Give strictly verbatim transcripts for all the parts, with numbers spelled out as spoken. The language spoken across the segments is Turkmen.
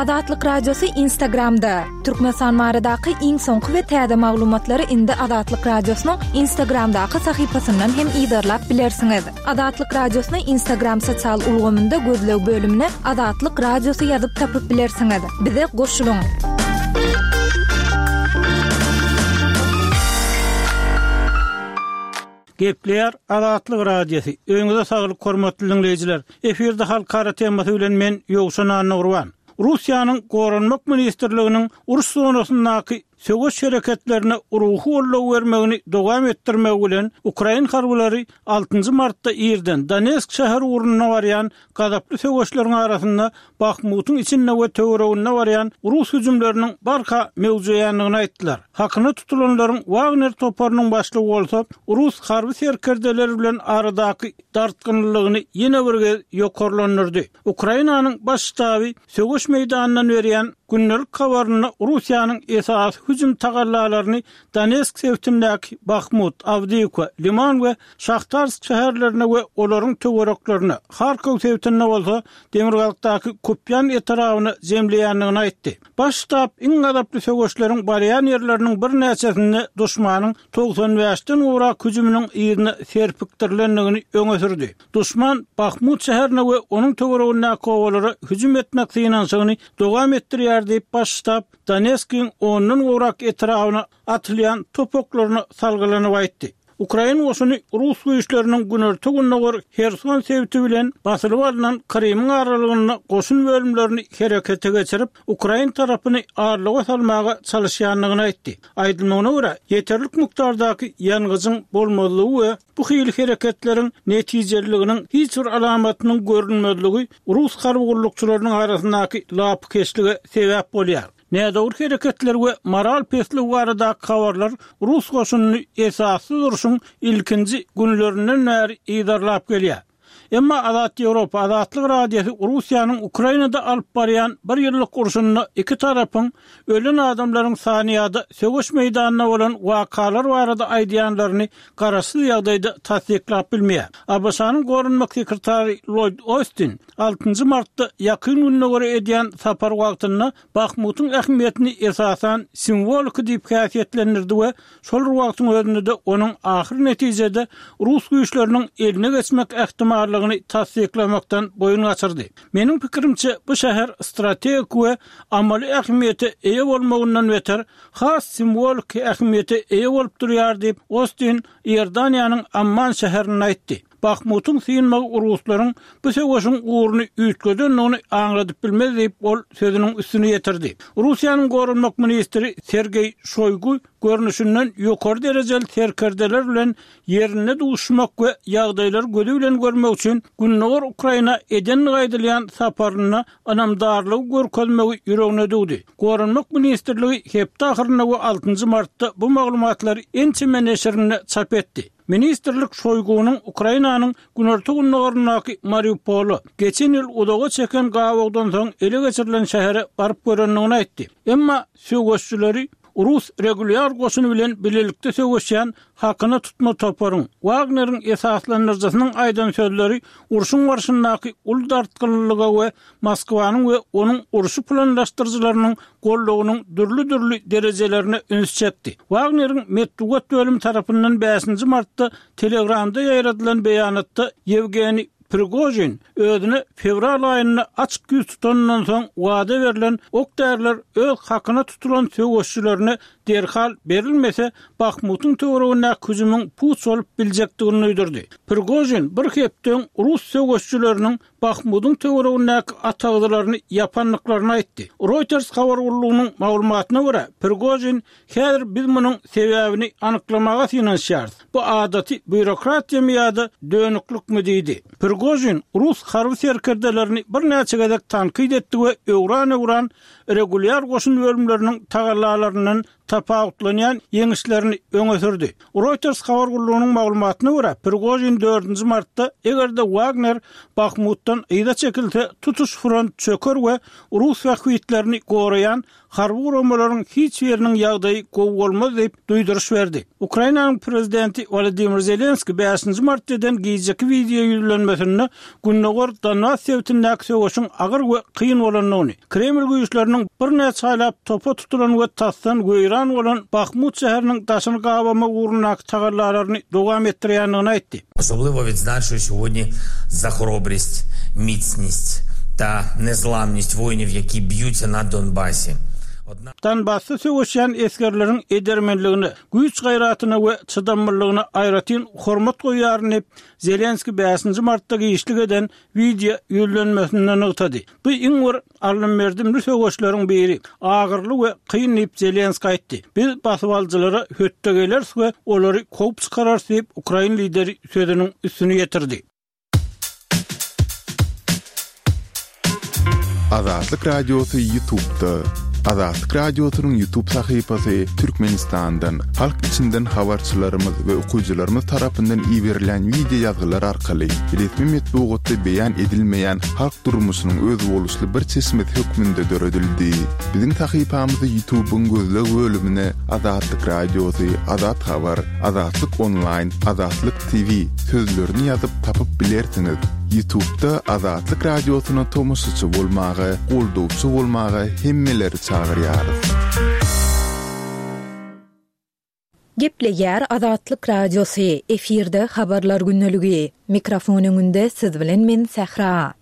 Azatlyk Radiosy Instagramda. Türkmenistan baradaky iň soňky we täze maglumatlary indi Azatlyk Radiosynyň Instagramdaky sahypasyndan hem yzarlap bilersiňiz. Azatlyk Radiosyny Instagram sosial ulgamynda gözleg bölümine Azatlyk Radiosy ýazyp tapyp bilersiňiz. Bize goşulyň. Gepleýär Azatlyk Radiosy. Öýüňize saglyk hormatly diňleýjiler. Efirde halkara temasy bilen men Ýowşan Annagurban. Russiýanyň Goranmak ministrliginiň uruş zonasyndaky söweş hereketlerine ruhy goldaw bermegini dowam etdirmegi bilen, ukrain harbylary altynjy martda irden Donetsk şäheri ugrunda barýan gazaply söweşleriň arasynda Bahmutyň içinde we töwereginde barýan rus hüjümleriniň barha möwjeýändigini aýtdylar. Hakyna tutulanlaryň Wagner toparynyň başlygy bolsa rus harby serkerdeleri bilen aradaky dartgynlylygyny ýene bir gez ýokarlandyrdy. Ukrainanyň baş ştaby söweş meýdanyndan berýän gündelik habarynda Russiýanyň esasy hüjüm tagallalaryny Donetsk sebitindäki Bahmut, Awdiýewka, Liman we Şahtarsk şäherlerine we olaryň töwereklerine, Harkow sebitinde bolsa demirgazykdaky Kupýan etrabyna jemleýändigini aýtdy. Baş ştab iň gazaply söweşleriň barýan ýerleriniň birnäçesinde duşmanyň togsan bäşden gowrak hüjüminiň yzyna serpikdirilendigini öňe sürdi. Duşman Bahmut şäherine we onuň töweregindäki obalara hüjüm etmek synanyşygyny dowam etdirýär diýip, baş ştab Donetskiň ondan gowrak etrabyna atylýan top oklaryna salgylanyp aýtdy. Ukrain goşuny rus güýçleriniň günorta-gündogar Herson sebiti bilen basylyp alnan Krymyň aralygynda goşun bölümlerini herekete geçirip, ukrain tarapyny arlyga salmaga çalyşýandygyny aýtdy. Aýdylmagyna görä, ýeterlik mukdardaky ýangyjyň bolmazlygy we bu hili hereketleriň netijeliliginiň hiç bir alamatynyň görünmezligi rus harby gullukçylarynyň arasyndaky lapykeçlige sebäp bolýar. Nädogry hereketler we moral pesligi baradaky habarlar rus goşunyny esassyz urşuň ilkinji günlerinden bäri yzarlap gelýär. Emma Azat Ýewropa, Azatlyk Radiosy Russiýanyň Ukrainada alyp barýan bir ýyllyk urşunda iki tarapyň ölen adamlaryň sany ýa-da söweş meýdanynda bolan wakalar barada aýdýanlaryny garaşsyz ýagdaýda tassyklap bilmeýär. ABŞ-nyň goranmak sekretary Lloýd Ostin altynjy martda Ýakyn Gündogara edýän sapary wagtynda Bahmutyň ähmiýetini esasan simwoliki diýip häsiýetlendirdi we şol bir wagtyň özünde-de onuň ahyr netijede rus güýçleriniň eline geçmek ähtimallygyny tassyklamakdan boýun gaçyrdy. Meniň pikirimçe, bu şäher strategik we amaly ähmiýete eýe bolmagyndan beter, has simwoliki ähmiýete eýe bolup durýar diýip, Ostin Iordaniýanyň Amman şäherinde aýtdy. Bahmutyň synmagy ruslaryň bu söweşiň ugruny üýtgedendigini aňladyp bilmez diýip, ol sözüniň üstüni ýetirdi. Russiýanyň goranmak ministri Sergeý Şoýgu görnüşinden ýokary derejeli serkerdeler bilen ýerinde duşuşmak we ýagdaýlary gözi bilen görmek üçin gündogar Ukraina edendigi aýdylýan saparynda ynamdarlygy görkezmegi ýüregine düwdi. Goranmak ministrligi hepde ahyrynda we altynjy martda bu maglumatlary ençeme neşirinde çap etdi. Ministrlik Şoýgunyň Ukrainanyň günorta-gündogaryndaky Mariupola, geçen ýyl uzaga çeken gabawdan soň ele geçirilen şähere baryp görendigini aýtdy. Emma söweşçileri rus regulýar goşuny bilen bilelikde söweşýän hakyna tutma toparyň, Wagneriň esaslandyryjysynyň aýdan sözleri urşuň barşyndaky uly dartgynlylyga we Moskwanyň we onuň urşy planlaşdyryjylarynyň goldawynyň dürli-dürli derejelerine üns çekdi. Wagneriň metbugat bölümi tarapyndan bäşinji martda Telegramda ýaýradylan beýanatda Ýewgeniý Prigožin özüne fewral aýynda açyk ýüz tutanyndan soň wada berlen ok-däriler öz hakyna tutulan söweşçilerine derhal berilmese, Bahmutyň töweregindäki hüjümiň puç bolup biljekdigini duýdurdy. Prigožin bir hepde öň rus söweşçileriniň Bahmudyň töweregindäki atagzylaryny ýapandyklaryny aýtdy. Reuters habar gullugynyň maglumatyna görä, Prigožin Häzir biz munuň sebäbini anyklamaga synanyşýarys. Bu adaty býurokratiýamy ýa-da dönüklikmi diýdi. Prigožin rus harby serkerdelerini birnäçe gezek tankyt etdi we öwran-öwran regulýar goşun bölümleriniň tagallalaryndan tapawutlanýan ýeňişlerini öňe sürdi. Reuters habar gullugynyň maglumatyna görä, Prigožin dördünji martda eger-de Wagner Bahmutdan yza çekilse, tutuş front çöker we rus bähbitlerini goraýan harby guramalaryň hiç biriniň ýagdaýy gowy bolmaz diýip duýduryş berdi. Ukrainanyň prezidenti Wolodymyr Zelenski bäşinji martda eden gijeki wideo ýüzlenmesinde Gündogar Donbas sebitindäki söweşiň agyr we kyn bolandygyny, Kreml güýçleriniň birnäçe aýlap topa tutulan we tasdan weýran bolan Bahmut şäheriniň daşyny gabamak ugrundaky tagallalaryny dowam etdirýändigini aýtdy. Особливо відзначу сьогодні за хоробрість, міцність та незламність воїнів, які б'ються на Донбасі. Donbasda söweşýän esgerleriň edermenligine, güýç-gaýratyna we çydamlylygyna aýratyn hormat goýýaryn diýip, Zelenski bäşinji martda işlik eden wideo ýüzlenmesinde nygtady. Bu iň bir alym-merdimli söweşleriň biri, agyrly we kyn diýip Zelenski aýtdy. Biz basybalyjylara hötde geleris we olary kowup çykararys diýip, Ukrain lideri sözüniň üstüni ýetirdi. Azatlyk Radiosy YouTube'da. Azatlyk Radiosynyň YouTube sahypasy Türkmenistandan, halk içinden habarçylarymyz we okyjylarymyz tarapyndan iberilen wideo ýazgylar arkaly resmi metbugatda beýan edilmeýän halk durmuşynyň özboluşly bir çeşmesi hökmünde döredildi. Biziň sahypamyzy YouTube'yň gözleg bölümine Azatlyk Radiosy, Azat Habar, Azatlyk Online, Azatlyk T V sözlerini ýazyp tapyp bilersiňiz. YouTube'da Azatlyk Radiosyna tomaşaçy bolmaga, goldawçy bolmaga hemmeleri çagyrýarys. Gepleýär Azatlyk Radiosy, efirde habarlar günlügi. Mikrofon öňünde siz bilen men Sähra.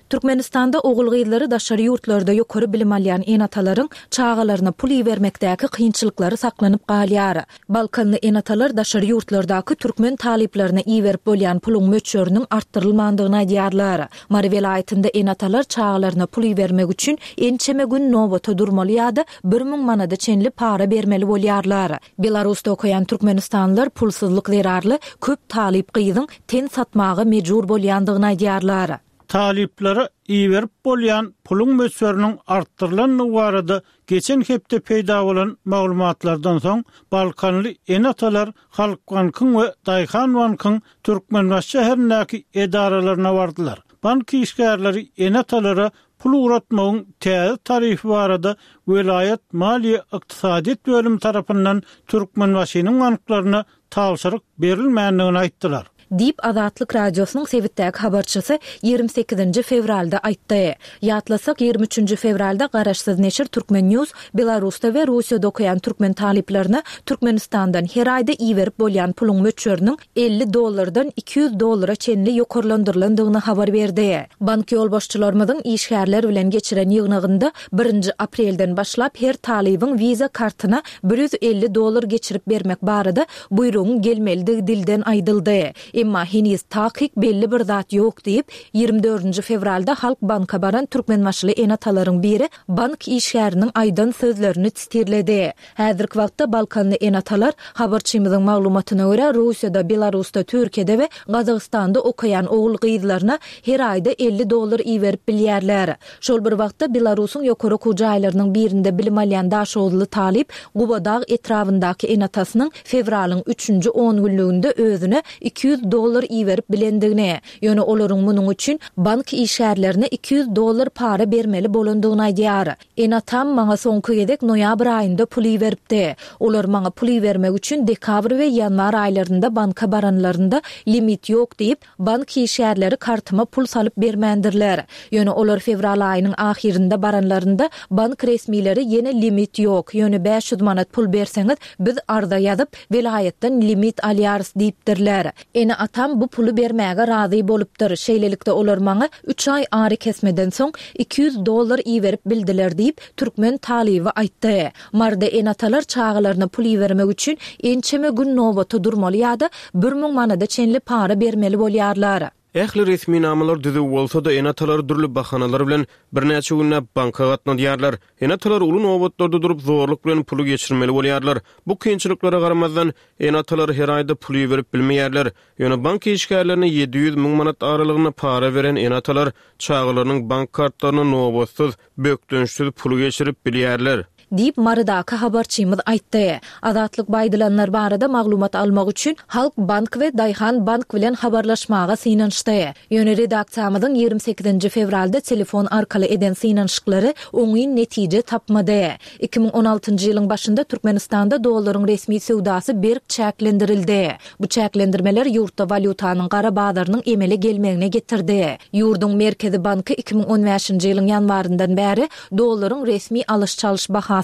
Türkmenistanda ogul gyzlary daşary ýurtlarda ýokary bilim alýan ene-atalaryň çagalaryna pul ibermekdäki kynçylyklary saklanyp galýar. Balkanly ene-atalar daşary ýurtlardaky türkmen talyplaryna iberip bolýan puluň möçberiniň artdyrylmandygyny aýdýarlar. Mary welaýatynda ene-atalar çagalaryna pul ibermek üçin ençeme gün nobata durmaly ýa-da bir müň manada çenli para bermeli bolýarlar. Belarusda okaýan türkmenistanlylar pulsuzlyk zerarly köp talyp gyzyň ten satmaga mejbur bolýandygyny aýdýarlar. Talyplara iberip bolýan puluň möçberiniň artdyrylandygy barada geçen hepde peýda bolan maglumatlardan soň Balkanly ene-atalar Halk Bankyň we Daýhan Bankyň Türkmenbaşy şäherindäki edaralaryna bardylar. Bank işgärleri ene-atalara pul ugratmagyň täze tarifi barada welaýat maliýe ykdysadyýet bölümi tarapyndan Türkmenbaşynyň banklaryna tabşyryk berilmändigini aýtdylar. Diýip Azatlyk Radiosynyň sebitdäki habarçysy ýigrimi sekizinji fewralda aýtdy. Ýatlasak ýigrimi üçünji fewralda garaşsyz neşir Türkmen News Belarusda we Russiýada okaýan türkmen talyplaryna Türkmenistandan her aýda iberip bolýan puluň möçberiniň elli dollardan iki ýüz dollara çenli ýokarlandyrylandygyny habar berdi. Bank ýolbaşçylarymyzyň işgärler bilen geçiren ýygnagynda birinji aprelden başlap her talybyň Visa kartyna bir ýüz elli dollar geçirip bermek barada buýrugyň gelmelidigi dilden aýdyldy. Emma heniz takyk belli bir zat ýok diýip, ýigrimi dördünji fewralda Halk Banka baran türkmenbaşyly ene-atalaryň biri bank işgäriniň aýdan sözlerini titirledi. Häzirki wagtda Balkanly ene-atalar habarçymyzyň maglumatyna görä Russiýada, Belarusda, Türkiýede we Gazagystanda okaýan ogul gyzlaryna her aýda elli dollar iberip bilýärler. Şol bir wagtda Belarusyň ýokary okuw jaýlarynyň birinde bilim alýan Daşoguzly talyp Gubadag etrabyndaky ene-atasynyň fewralyň üçünji on günlüginde özüne iki ýüz dollar iberip bilendigini, ýöne olaryň munuň üçin bank işgärlerine iki ýüz dollar para bermeli bolandygyny aýdýar. Ene-atam maňa soňky gezek noýabr aýynda pul iberipdi. Olar maňa pul ibermek üçin dekabr we ýanwar aýlarynda banka baranlarynda limit ýok diýip, bank işgärleri kartyma pul salyp bermändirler. Ýöne olar fewral aýynyň ahyrynda baranlarynda bank resmileri ýene limit ýok, ýöne bäş ýüz manat pul berseňiz biz arza ýazyp welaýatdan limit alýarys diýipdirler. Ene-atam bu puly bermäge razy bolupdyr. Şeýlelikde olar maňa üç aý ary kesmeden soň iki ýüz dollar iberip bildiler diýip, türkmen talyby aýtdy. Marda ene-atalar çagalaryna pul ibermek üçin ençeme gün nobata durmaly ýa-da bir müň manada çenli para bermeli bolýarlar. Ähli resminamalar düzüw bolsa-da ene-atalar dürli bahanalar bilen birnäçe günläp banka gatnadýarlar. Ene-atalar uly nobatlarda durup zorluk bilen puly geçirmeli bolýarlar. Bu kynçylyklara garamazdan ene-atalar her aýda pul iberip bilmeýärler. Ýöne bank işgärlerine ýedi ýüz müň manat aralygynda para beren ene-atalar çagalarynyň bank kartlaryna nobatsyz, bökdençsiz puly geçirip bilýärler. Diýip, Marydaky habarçymyz aýtdy. Azatlyk bu aýdylanlar barada maglumat almak üçin Halk bank we Daýhan bank bilen habarlaşmaga synanyşdy. Ýöne redaksiýamyzyň ýigrimi sekizinji fewralda telefon arkaly eden synanyşyklary oňyn netije tapmady. Iki müň on altynjy ýylyň başynda Türkmenistanda dollaryň resmi söwdasy berk çäklendirildi. Bu çäklendirmeler ýurtda walýutanyň gara bazarynyň emele gelmegine getirdi. Ýurduň Merkezi banky iki müň on bäşinji ýylyň ýanwaryndan bäri dollaryň resmi alyş-çalyş bahasyny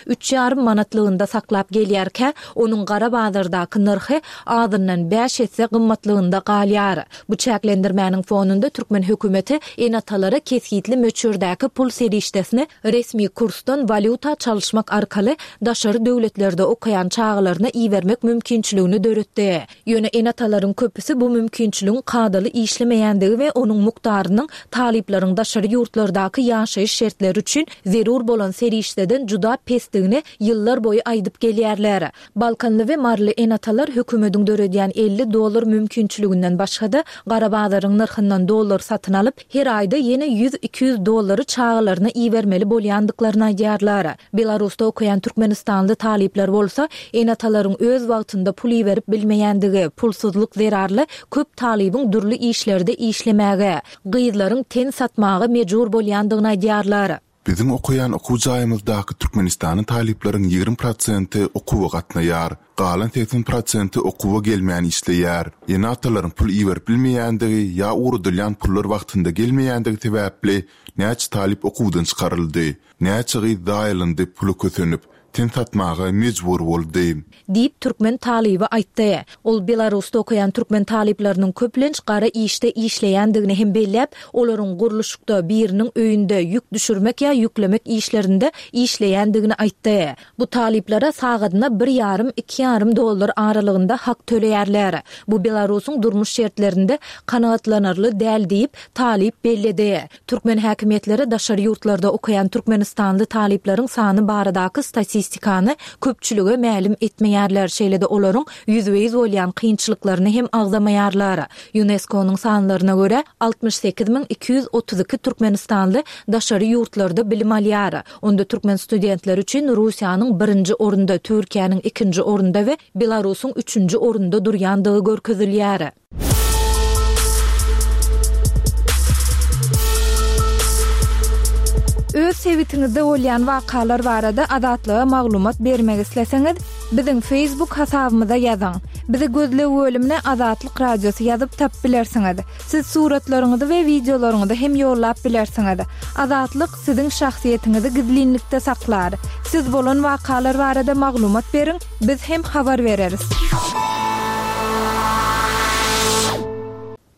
üç ýarym manatlygynda saklap gelýärkä, onuň gara bazardaky nyrhy azyndan bäş esse gymmatlygynda galýar. Bu çäklendirmäniň fonunda türkmen hökümeti ene-atalara kesgitli möçberdäki pul serişdesini resmi kursdan walýuta çalyşmak arkaly daşary döwletlerde okaýan çagalaryna ibermek mümkinçiligini döretdi. Ýöne ene-atalaryň köpüsi bu mümkinçiligiň kadaly işlemeýändigi we onuň mukdarynyň talyplaryň daşary ýurtlardaky ýaşaýyş şertleri üçin zerur bolan serişdeden juda pesdigini ýyllar boýy aýdyp gelýärler. Balkanly we maryly ene-atalar hökümediň döredýän elli dollar mümkinçiliginden başga-da gara bazaryň nyrhyndan dollar satyn alyp, her aýda ýene ýüz-iki ýüz dollary çagalaryna ibermeli bolýandyklaryny aýdýarlar. Belarusda okaýan türkmenistanly talyplar bolsa, ene-atalaryň öz wagtynda pul iberip bilmeýändigi, pulsuzlyk zerarly köp talybyň dürli işlerde işlemäge, gyzlaryň ten satmaga mejbur bolýandygyny aýdýarlar. Biziň okaýan okuw jaýymyzdaky Türkmenistanyň talyplaryň ýigrimi prosenti okuwa gatnaýar, galan segsen prosenti okuwa gelmän işleýär. Ene-atalaryň pul iberip bilmeýändigi ýa ugradylýan pullar wagtynda gelmeýändigi sebäpli näçe talyp okuwdan çykaryldy, näçe gyz zaýalandy puly kösenip, ten satmaga mejbur boldy. Diýip, türkmen talyby aýtdy. Ol Belarusda okaýan türkmen talyplarynyň köplenç gara işde işleýändigini hem belläp, olaryň gurluşykda, biriniň öýünde ýük düşürmek ýa ýüklemek işlerinde işleýändigini aýtdy. Bu talyplara sagadyna bir ýarym, iki ýarym dollar aralygynda hak töleýärler. Bu Belarusyň durmuş şertlerinde kanagatlanarly däl diýip, talyp belledi. Türkmen häkimiýetleri daşary ýurtlarda okaýan türkmenistanly talyplaryň sany baradaky statistikany köpçülige mälim etmeýärler, şeýle-de olaryň ýüzbe-ýüz bolýan kynçylyklaryny hem agzamaýarlar. UNESCO-nyň sanlaryna görä, altmyş sekiz müň iki ýüz otuz iki türkmenistanly daşary ýurtlarda bilim alýar. Onda türkmen studentleri üçin Russiýanyň birinji orunda, Türkiýäniň ikinji orunda we Belarusyň üçünji orunda durýandygy görkezilýär. Öz sebitiňizde bolýan wakalar barada Azatlyga maglumat bermek isleseňiz, biziň Facebook hasabymyza ýazyň. Bizi gözleg bölümine Azatlyk Radiosy ýazyp tap bilersiňiz. Siz suratlaryňyzy we wideolaryňyzy hem ýollap bilersiňiz. Azatlyk siziň şahsyýetiňizi gizlinlikde saklar. Siz bolan wakalar barada maglumat beriň, biz hem habar bereris.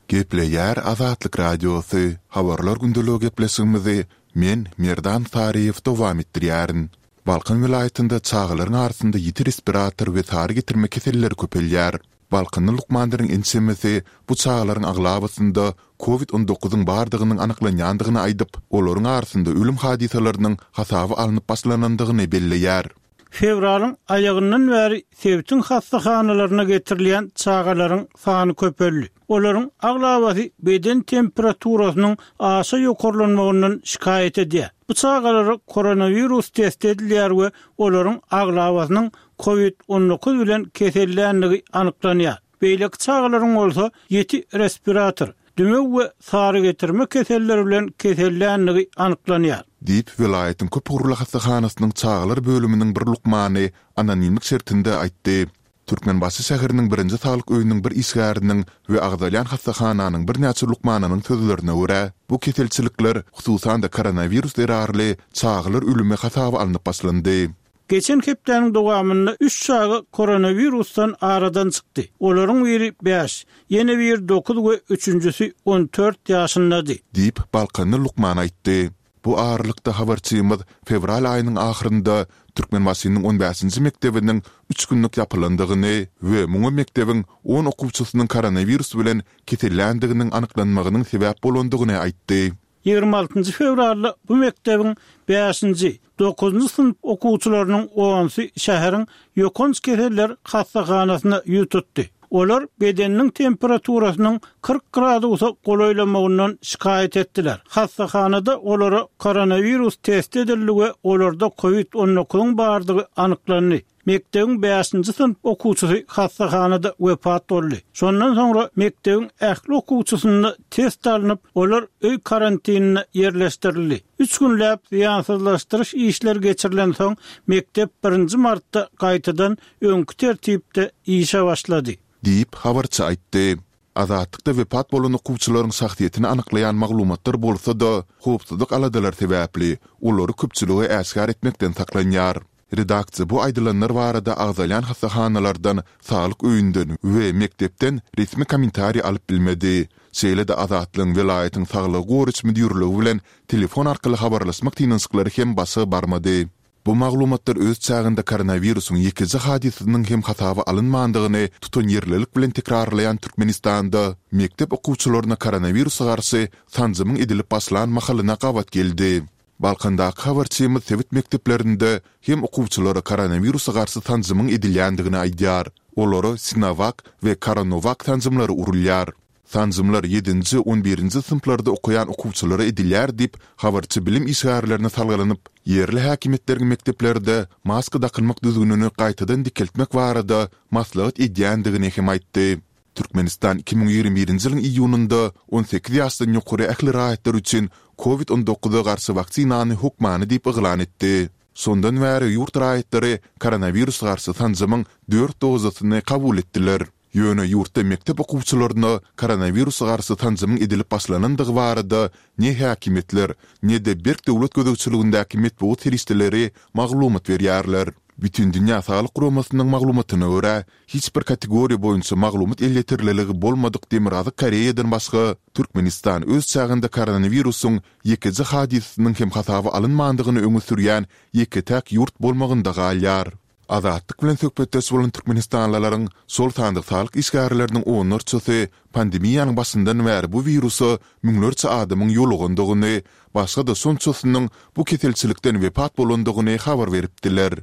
Gepleýär Azatlyk Radiosy. Habarlar gündeligi gepleşigimizi men Merdan Saryýew dowam etdirýärin. Balkan welaýatynda çagalaryň arasynda ýiti respirator we sary getirme keselleri köpelýär. Balkanly lukmanlaryň ençemesi bu çagalaryň aglabasynda kovid on dokuzyň bardygynyň anyklanýandygyny aýdyp, olaryň arasynda ölüm hadysalarynyň hasaba alnyp başlanandygyny belleýär. Fewralyň aýagyndan bäri sebitiň hassahanalaryna getirilýän çagalaryň sany köpeldi. Olaryň aglabasy beden temperaturasynyň aşa ýokarlanmagyndan şikaýat edýär. Bu çagalara koronawirus test edilýär we olaryň aglabasynyň kovid on dokuz bilen kesellänligi anyklanýar. Beýleki çagalaryň bolsa ýiti respirator, dümew we sary getirme keselleri bilen kesellänligi anyklanýar. Diýip, welaýatyň köp ugurly hassahanasynyň çagalar bölüminiň bir lukmany anonimlik şertinde aýtdy. Türkmenbaşy şäheriniň birinji saglyk öýüniň bir işgäriniň we agzalýan hassahananyň birnäçe lukmanynyň sözlerine görä, bu keselçilikler, hususan-da koronawirus zerarly çagalar ölümi hasaba alnyp başlandy. Geçen hepdäniň dowamynda üç çaga koronawirusdan aradan çykdy. Olaryň biri bäş, ýene biri dokuz we üçünjisi on dört ýaşyndady. Diýip, Balkanly lukman aýtdy. Bu aralykda habarçymyz fewral aýynyň ahyrynda Türkmenbaşynyň on bäşinji mekdebiniň üç günlük ýapylandygyny we muňa mekdebiň on okuwçysynyň koronawirus bilen keselländiginiň anyklanmagynyň sebäp bolandygyny aýtdy. Ýigrimi altynjy fewralda bu mekdebiň bäşinji, dokuzynjy synp okuwçylarynyň onsy şäheriň ýokanç keseller hassahanasyna ýüz tutdy. Olar bedeniniň temperaturasynyň kyrk gradusa golaýlamagyndan şikaýat etdiler. Hassahanada olara koronawirus test edildi we olarda COVID on dokuzyň bardygy anyklandy. Mektebiň bäşinji synp okuwçysy hassahanada wepat boldy. Şondan soňra mektebiň ähli okuwçysynda test alnyp, olar öý karantinine ýerleşdirildi. Üç günläp zyýansyzlaşdyryş işleri geçirilen soň mektep birinji martda gaýtadan öňki tertipde işe başlady. Diýip habarçy aýtdy. Azatlykda wepat bolan okuwçylaryň şahsyýetini anyklaýan maglumatlar bolsa-da, howpsuzlyk aladalar sebäpli olary köpçülige äşgär etmekden saklanýar. Redaksiýa bu aýdylanlar barada agzalýan hassahanalardan, saglyk öýünden we mektepden resmi kommentariý alyp bilmedi. Şeýle-de Azatlygyň welaýatyň saglygy goraýyş müdirligi bilen telefon arkaly habarlaşmak synanyşyklary hem başa barmady. Bu maglumatlar öz çäginde koronawirusyň ýekeje hadysasynyň hem hasaba alynmandygyny tutanýerlilik bilen tekrarlaýan Türkmenistanda mektep okuwçylaryna koronawirusa garşy sanjymyň edilip başlan mahalyna gabat geldi. Balkandaky habarçymyz sebit mekdeplerinde hem okuwçylara koronawirusa garşy sanjymyň edilýändigini aýdýar. Olara Sinovac we Coronavac sanjymlary urulýar. Sanjymlar ýedinji, on birinji synplarda okaýan okuwçylara edilýär diýip, habarçy bilim işgärlerine salgylanyp, ýerli häkimiýetleriň mekdeplerde maska dakynmak düzgünini gaýtadan dikeltmek barada maslahat edýändigini hem aýtdy. Türkmenistan iki müň ýigrimi birinji ýylyň iýunynda on sekiz ýaşdan ýokary ähli raýatlar üçin COVID on dokuza garşy waksinany hökmany diýip yglan etdi. Şondan bäri ýurt raýatlary koronawirus garşy sanjymyň dört dozasyny kabul etdiler. Ýöne ýurtda mektep okuwçylaryna koronawirusa garşy sanjymyň edilip başlanandygy barada ne häkimiýetler, ne-de berk döwlet gözegçiligindäki metbugat serişdeleri maglumat berýärler. Bütindünýä Saglyk Guramasynyň maglumatyna görä, hiç bir kategoriýa boýunça maglumat elýeterliligi bolmadyk Demirgazyk Koreýadan başga Türkmenistan öz çäginde koronawirusyň ýekeje hadysasynyň hem hasaba alynmandygyny öňe sürýän ýeke-täk ýurt bolmagynda galýar. Azatlyk bilen söhbetdeş bolan türkmenistanlylaryň, şol sanda saglyk işgärleriniň onlarçasy pandemiýanyň başyndan bäri bu wirusa müňlerçe adamyň ýolugandygyny, başga-da şonçasynyň bu keselçilikden wepat bolandygyny habar beripdiler.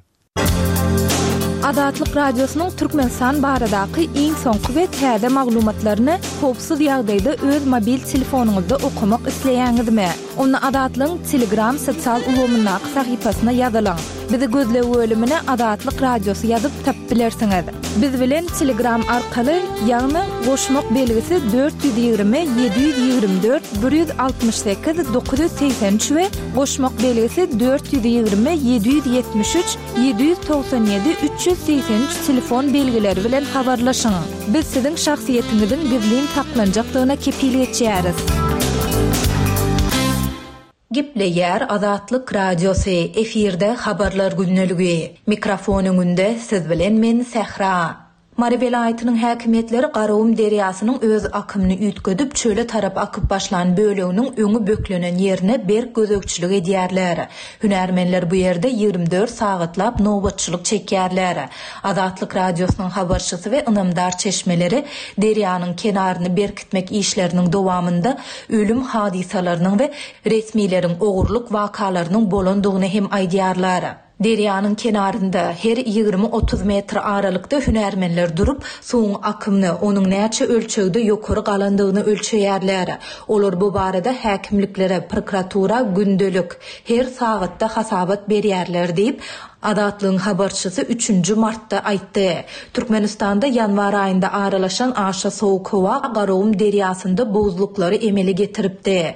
Azatlyk Radiosynyň Türkmenistan baradaky iň soňky we täze maglumatlaryny howpsuz ýagdaýda öz mobil telefonyňyzda okamak isleýäňizmi? Onda Azatlygyň Telegram sosial ulgamyndaky sahypasyna ýazylyň. Bizi gözleg bölümine Azatlyk Radiosy ýazyp tapyp bilersiňiz. Biz bilen Telegram arkaly, ýagny goşmak belgisi dört ýüz ýigrimi ýedi ýüz ýigrimi dört bir ýüz altmyş sekiz dokuz ýüz segsen üç we goşmak belgisi dört ýüz ýigrimi ýedi ýüz ýetmiş üç ýedi ýüz togsan ýedi üç ýüz segsen üç telefon belgileri bilen habarlaşyň. Biz siziň şahsyýetiňiziň gizlin saklanjakdygyna kepil geçýäris. Gepleýär Azatlyk Radiosy, efirde habarlar gündeligi. Mikrofon öňünde siz bilen men Sähra. Mary welaýatynyň häkimiýetleri Garagum derýasynyň öz akymyny üýtgedip, çöle tarap akyp başlan böleginiň öňi böklenen ýerine berk gözegçilik edýärler. Hünärmenler bu ýerde ýigrimi dört sagatlap nobatçylyk çekýärler. Azatlyk Radiosynyň habarçysy we ynamdar çeşmeleri derýanyň kenaryny berkitmek işleriniň dowamynda ölüm hadysalarynyň we resmileriň ogurlyk wakalarynyň bolandygyny hem aýdýarlar. Derýanyň kenarynda her ýigrimi-otuz metr aralykda hünärmenler durup, suwuň akymyny, onuň näçe ölçegde ýokary galandygyny ölçeýärler. Olar bu barada häkimliklere, prokuratura gündelik, her sagatda hasabat berýärler diýip, Azatlygyň habarçysy üçünji martda aýtdy. Türkmenistanda ýanwar aýynda aralaşan aşa sowuk howa Garagum derýasynda buzluklary emele getiripdi.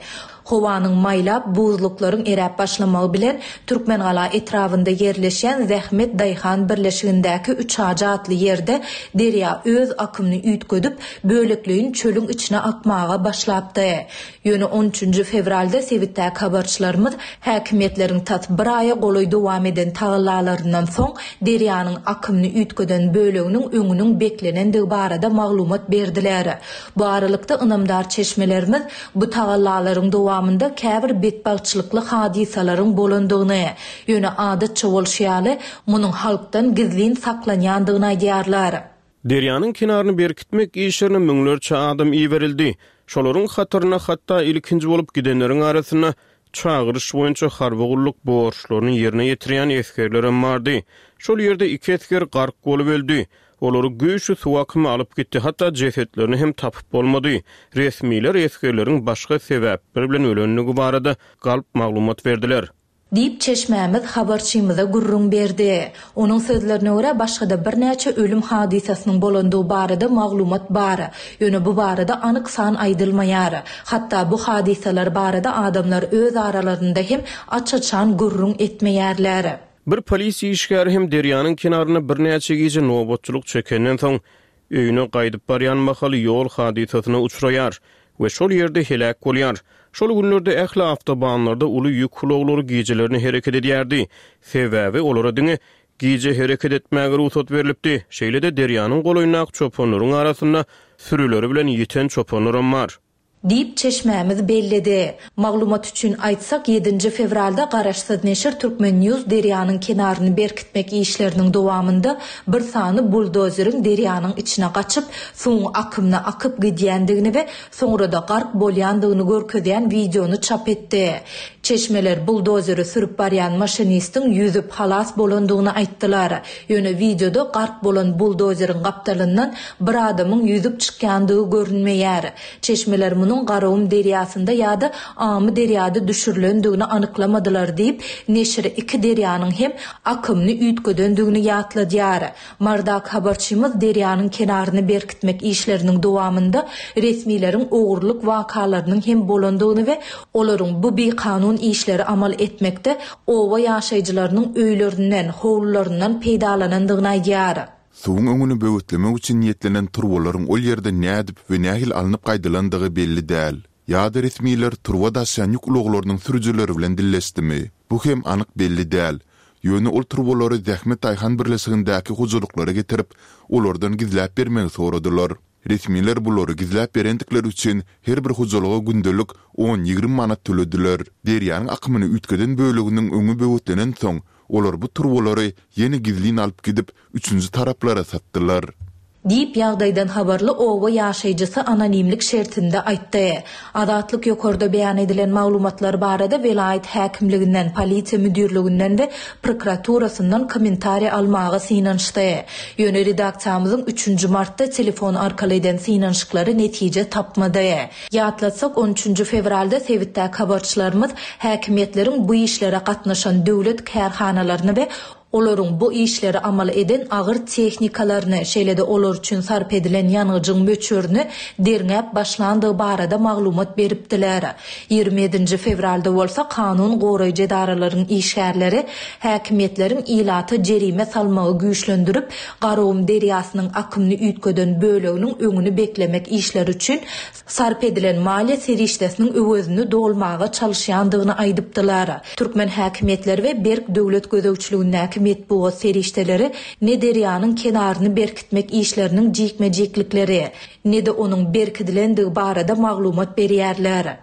Howanyň maýlap, buzluklaryň eräp başlamagy bilen Türkmengala etrabynda ýerleşýän Zähmet daýhan birleşigindäki Üçajy atly ýerde derýa öz akymyny üýtgedip, bölekleýin çölüň içine akmaga başlapdy. Ýöne on üçünji fewralda sebitdäki habarçylarymyz häkimiýetleriň tas bir aýa golaý dowam eden tagallalaryndan soň derýanyň akymyny üýtgeden böleginiň öňüniň beklenendigi barada maglumat berdiler. Bu aralykda ynamdar çeşmelerimiz bu tagallalaryň dowamynda käbir betbagtçylykly hadysalaryň bolandygyny, ýöne adatça bolşy ýaly, munuň halkdan gizlin saklanýandygyny aýdýarlar. Derýanyň kenaryny berkitmek işlerine müňlerçe adam iberildi. Şolaryň hatarynda hatda ilkinji bolup gidenleriň arasynda çagyryş boýunça harby gulluk borçlaryny ýerine ýetirýän esgerlerem bardy. Şol ýerde iki esger gark bolup öldi. Olary güýçli suw akymy alyp gitdi, hatda jesetlerini hem tapyp bolmady. Resmiler esgerleriň başga sebäpler bilen ölendigi barada galp maglumat berdiler. Diýip, çeşmämiz habarçymyza gürrüň berdi. Onuň sözlerine görä, başga-da birnäçe ölüm hadysasynyň bolandygy barada maglumat bar. Ýöne bu barada anyk san aýdylmaýar. Hatda bu hadysalar barada adamlar öz aralarynda hem aç-açan gürrüň etmeýärler. Bir polisiýa işgäri hem derýanyň kenarynda birnäçe gije nobatçylyk çekenden soň öýüne gaýdyp barýan mahaly ýol hadysasyna uçraýar we şol ýerde heläk bolýar. Şol günlerde ähli awtobanlarda uly ýük ulaglary gijelerini hereket edýärdi. Sebäbi olara diňe gije hereket etmäge rugsat berlipdi. Şeýle-de derýanyň golaýyndaky çopanlaryň arasynda sürüleri bilen ýiten çopanlaram bar. Diýip, çeşmämiz belledi. Maglumat üçin aýtsak, ýedinji fewralda garaşsyz neşir Turkmen News derýanyň kenaryny berkitmek işleriniň dowamynda bir sany buldozeriň derýanyň içine gaçyp, suwuň akymyna akyp gidýändigini we soňra-da gark bolýandygyny görkezýän wideony çap etdi. Çeşmeler buldozeri sürüp barýan maşinistiň ýüzüp halas bolandygyny aýtdylar. Ýöne wideoda gark bolan buldozeriň gapdalyndan bir adamyň ýüzüp çykýandygy görünmeýär. Çeşmeler munuň Garagum derýasynda ýa-da Amy derýada düşürilendigini anyklamadylar diýip, neşir iki derýanyň hem akymyny üýtgedendigini ýatladýar. Mardak habarçymyz derýanyň kenaryny berkitmek işleriniň dowamynda resmileriň ogurlyk wakalarynyň hem bolandygyny we olaryň bu bikanun işleri amal etmekde oba ýaşaýjylarynyň öýlerinden, howlularyndan peýdalanandygyny aýdýar. Suwuň öňüni böwetlemek üçin niýetlenen turbalaryň ol ýerden nädip we nähili alnyp gaýdylandygy belli däl. Ýa-da resmiler turba daşaýan ýük ulaglarynyň sürüjileri bilen dilleşdimi? Bu hem anyk belli däl. Ýöne ol turbalary Zähmet daýhan birleşigindäki hojalyklara getirip, olardan gizläp bermegi soradylar. Resmiler bulary gizläp berendikleri üçin her bir hojalyga gündelik on-ýigrimi manat tölediler. Derýanyň akymyny üýtgeden böleginiň öňi böwetlenensoň, olar bu turbalary ýene gizlin alyp gidip, üçünji taraplara satdylar. Diýip, ýagdaýdan habarly oba ýaşaýjysy anonimlik şertinde aýtdy. Azatlyk ýokarda beýan edilen maglumatlar barada welaýat häkimliginden, polisiýa müdirliginden we prokuraturasyndan kommentariý almaga synanyşdy. Ýöne redaksiýamyzyň üçünji martda telefon arkaly eden synanyşyklary netije tapmady. Ýatlatsak, on üçünji fewralda sebitdäki habarçylarymyz häkimiýetleriň bu işlere gatnaşan döwlet kärhanalaryny we olaryň bu işleri amal eden agyr tehnikalaryny, şeýle-de olar üçin sarp edilen ýangyjyň möçberini derňäp başlandygy barada maglumat beripdiler. Ýigrimi ýedinji fewralda bolsa kanun goraýjy edaralaryň işgärleri häkimiýetleriň ilata jerime salmagy güýçlendirip, Garagum derýasynyň akymyny üýtgeden böleginiň öňüni beklemek işleri üçin sarp edilen maliýe serişdesiniň öwezini dolmaga çalyşýandygyny aýdypdylar. Türkmen häkimiýetleri we berk döwlet gözegçiligindäki metbugat serişdeleri ne derýanyň kenaryny berkitmek işleriniň jikme-jiklikleri, ne-de onuň berkidilendigi barada maglumat berýärler.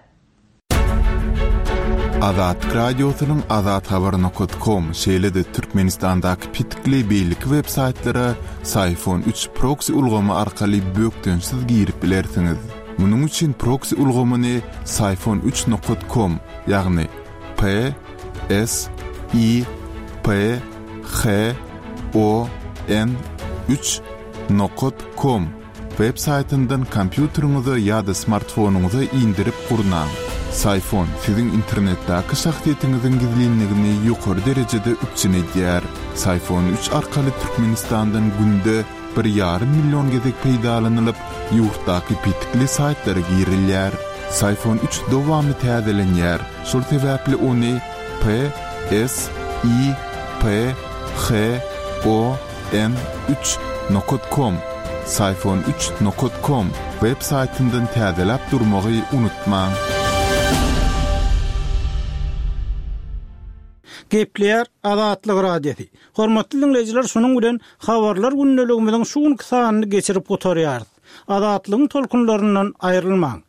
Azatlyk Radiosynyň azathabar nokat kom, şeýle-de Türkmenistandaky petikli beýleki web saýtlara Syfon üç proksi ulgamy arkaly bökdençsiz girip bilersiňiz. Munuň üçin proksi ulgamyny Syfon üç nokat kom, ýagny P S I P H O N üç nokat kom web saýtyndan kompýuteriňize ýa-da smartfonyňyza indirip gurnaň. Syfon siziň internetdäki şahsyýetiňiziň gizlinligini ýokary derejede üpjün edýär. Syfon üç arkaly Türkmenistandan günde bir ýarym million gezek peýdalanylyp, ýurtdaky petikli saýtlara girilýär. Syfon üç dowamly täzelenýär, şol sebäpli ony P S I P H O N üç nokat kom, Syfon üç nokat kom web saýtyndan täzeläp durmagy unutmaň. Gepleýär Azatlyk Radiosy. Hormatly dinleýjiler, şunuň bilen habarlar gündeligimiziň şu günki sanyny geçirip gutarýarys. Azatlygyň tolkunlaryndan aýrylmaň.